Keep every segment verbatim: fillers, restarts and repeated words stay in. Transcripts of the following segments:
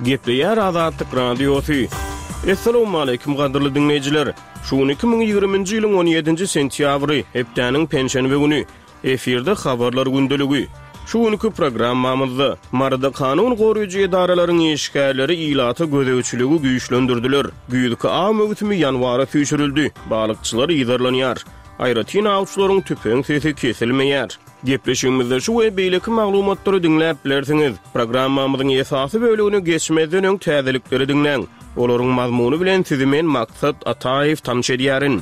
Gepleýär Azatlyk Radiosy. Essalawmaleýkim gadyrly diňleýjiler! Şu gün iki müň ýigriminji ýylyň on ýedinji sentýabry, hepdäniň penşenbe güni. Efirde Habarlar gündeligi. Şu günki programmamyzda Maryda kanun goraýjy edaralaryň işgärleri ilata gözegçiligi güýçlendirdiler. Güýzki aw möwsümi ýanwara süýşürildi. Balykçylar yzarlanýar. Aýratyn awçylaryň tüpeň sesi kesilmeýär. Gepleşigimizde şu we beýleki maglumatlary diňläp bilersiňiz. Programmamyzyň esasy bölegine geçmezden öň täzelikleri diňläň. Olaryň mazmuny bilen sizi men Maksat Ataýew tanyş edýärin.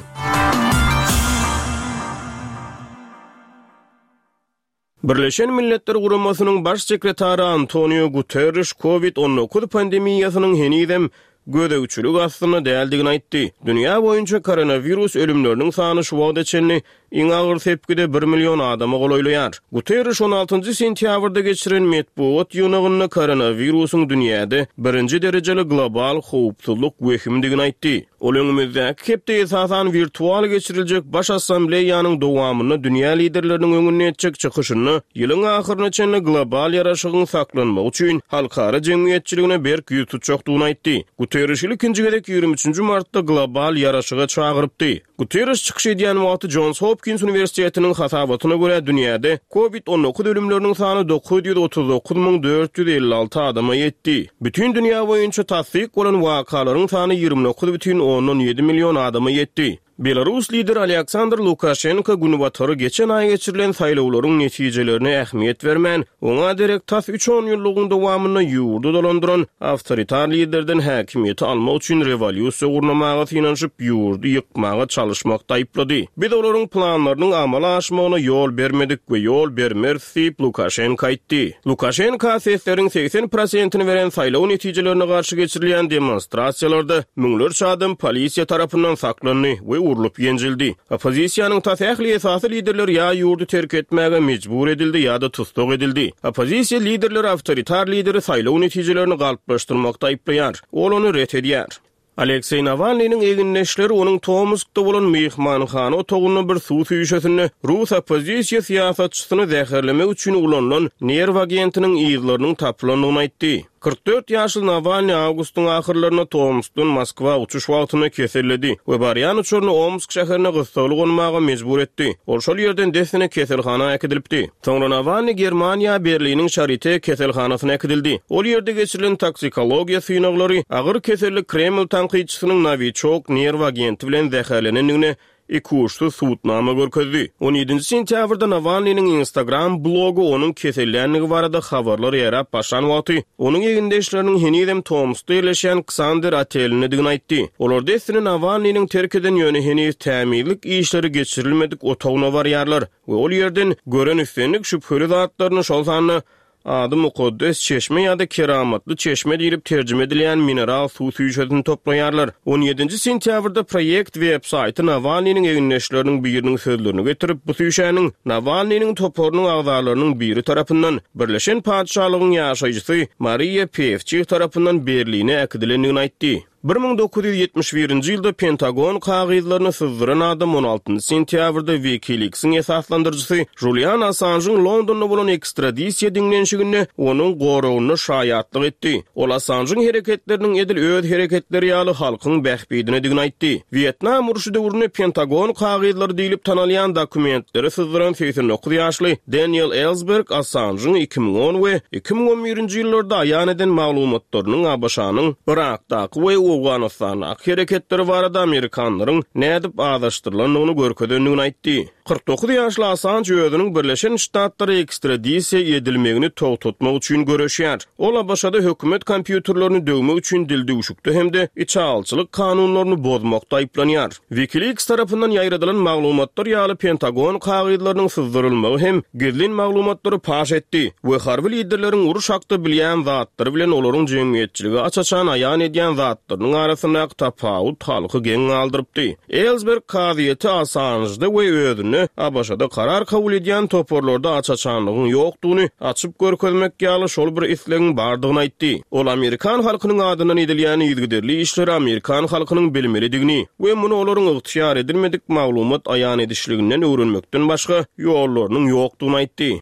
Birleşen Milletler Guramasynyň Baş sekretary Antonio Guterriş Covid on dokuz pandemiýasynyň henizem gözegçilik astynda däldigini aýtdy. Dünýä boýunça koronawirus ölümleriniň sany şu wagta çenli iň agyr sepgide bir million adama golaýlaýar. Guterriş on altynjy sentýabrda geçiren metbugat ýygnagynda koronawirusyň dünýäde birinji derejeli global howpsuzlyk wehimdigini aýtdy. Ol öňümizdäki hepde esasan wirtual geçiriljek Baş Assambleýanyň dowamynda dünýä liderleriniň öňünde etjek çykyşynda ýylyň ahyryna çenli global ýaraşygyň saklanmagy üçin halkara jemgyýetçiligine berk ýüz tutjakdygyny aýtdy. Guterriş ilkinji gezek ýigrimi üçünji martda global ýaraşyga çagyrypdy. Guterriş çykyş edýän wagty Johns Hopkins Uniwersitetiniň hasabatyna görä dünýäde Covid on dokuz ölümleriniň sany dokuz ýüz otuz dokuz müň dört ýüz elli alty adama ýetdi. Bütün dünýä boýunça tassyk bolan wakalaryň sany ýigrimi dokuz bütin ondan ýedi million adama ýetdi. Belarus lideri Aleksandr Lukaşenko günbatary geçen aý geçirilen saýlawlaryň netijelerine ähmiýet bermän, oňa derek tas üç onýyllygyň dowamynda ýurdy dolandyran awtoritar liderden häkimiýeti almak üçin rewolýusiýa gurnamaga synanyşyp, ýurdy ýykmaga çalyşmakda aýyplady. Biz olaryň planlarynyň amala aşmagyna ýol bermedik we ýol bermeris diýip, Lukaşenko aýtdy. Lukaşenko sesleriň segsen prosentini beren saýlaw netijelerine garşy geçirilýän demonstrasiýalarda müňlerçe adam polisiýa tarapyndan saklandy we urlup ýenjildi. Oppozisiýanyň tas ähli esasy liderleri ýa ýurdy terk etmäge mejbur edildi ýa-da tussag edildi. Oppozisiýa liderleri awtoritar lideri saýlaw netijelerini galplaşdyrmakda aýyplaýar. Ol ony ret edýär. Alekseý Nawalnynyň egindeşleri onuň Tomskda bolan myhmanhana otagynda bir suw süýşesinde rus oppozisiýa syýasatçysyny zäherlemek üçin ulanylan nerw agentiniň yzlarynyň tapylandygyny aýtdy. Kyrk dört ýaşly Nawalny awgustyň ahyrlarynda Tomskdan Moskwa uçuş wagtynda keselledi we barýan uçaryny Omsk şäherine gyssagly gonmaga mejbur etdi. Ol şol ýerden dessine keselhana äkidilipdi. Soňra Nawalny Germaniýa, Berliniň Şarite keselhanasyna äkidildi. Ol ýerde geçirilen toksikologiýa synaglary agyr keselli Kreml tankytçysynyň Nowiçok nerw agenti bilen zäherlenendigine ikuçsuz subutnama görkezdi. On ýedinji sentýabrda Nawalnynyň Instagram blogy onuň kesellänligi barada habarlar ýaýrap başlan wagty, onuň egindeşleriniň henizem Tomskda ýerleşýän Ksander otelindedigini aýtdy. Olar dessine Nawalnynyň terk eden ýöne heniz tämizlik işleri geçirilmedik otagyna barýarlar we ol ýerden gören islendik şübheli zatlaryny, şol sanda ady mukaddes çeşme ýa-da keramatly çeşme diýlip terjime edilýän mineral suw süýşesini toplaýarlar. On ýedinji sentýabrda proýekt web-saýty Nawalnynyň egindeşleriniň biriniň sözlerini getirip, bu süýşäniň Nawalnynyň toparynyň agzalarynyň biri tarapyndan Birleşen Patyşalygyň ýaşaýjysy Mariýa Pewçih tarapyndan Berline äkidilendigini aýtdy. Bir müň dokuz ýüz ýetmiş birinji ýylda Pentagon kagyzlaryny syzdyran adam on altynjy sentýabrda WikiLeaks-iň esaslandyryjysy Julian Assanjyň Londonda bolan ekstradisiýa diňlenişiginde onuň goragynda şaýatlyk etdi. Ol Assanjyň hereketleriniň edil öz hereketleri ýaly halkyň bähbidinedigini aýtdy. Wýetnam urşy döwründe Pentagon kagyzlary diýlip tanalýan dokumentleri syzdyran segsen dokuz ýaşly Daniel Ellsberg Assanjyň iki müň on we iki müň on birinji ýyllarda aýan eden maglumatlarynyň A B Ş-nyň Yrakdaky we Owganystandaky hereketleri barada Amerikanlaryň nädip azaşdyrylandygyny görkezendigini aýtdy. Kyrk dokuz ýaşly Assanj özüniň Birleşen Ştatlara ekstradisiýa edilmegini togtatmak üçin göreşýär. Ol A B Ş-da hökümet kompýuterlerini döwmek üçin dildüwşükde hem-de içalyçylyk kanunlaryny bozmakda aýyplanýar. WikiLeaks tarapyndan ýaýradylan maglumatlar ýaly Pentagon kagyzlarynyň syzdyrylmagy hem gizlin maglumatlary paş etdi we harby liderleriň uruş hakda bilýän zatlary bilen olaryň jemgyýetçilige aç-açan aýan edýän zatlarynyň arasyndaky tapawut halky geň galdyrypdy. Ellsberg kazyýeti Assanjda we özünde A B Ş-da karar kabul edýän toparlarda aç-açanlygyň ýokdugyny açyp görkezmek ýaly şol bir islegiň bardygyny aýtdy. Ol Amerikan halkynyň adyndan edilýän yzygiderli işleri Amerikan halkynyň bilmelidigini we muny olaryň ygtyýar edilmedik maglumat aýan edişliginden öwrenmekden başga ýollarynyň ýokdugyny aýtdy.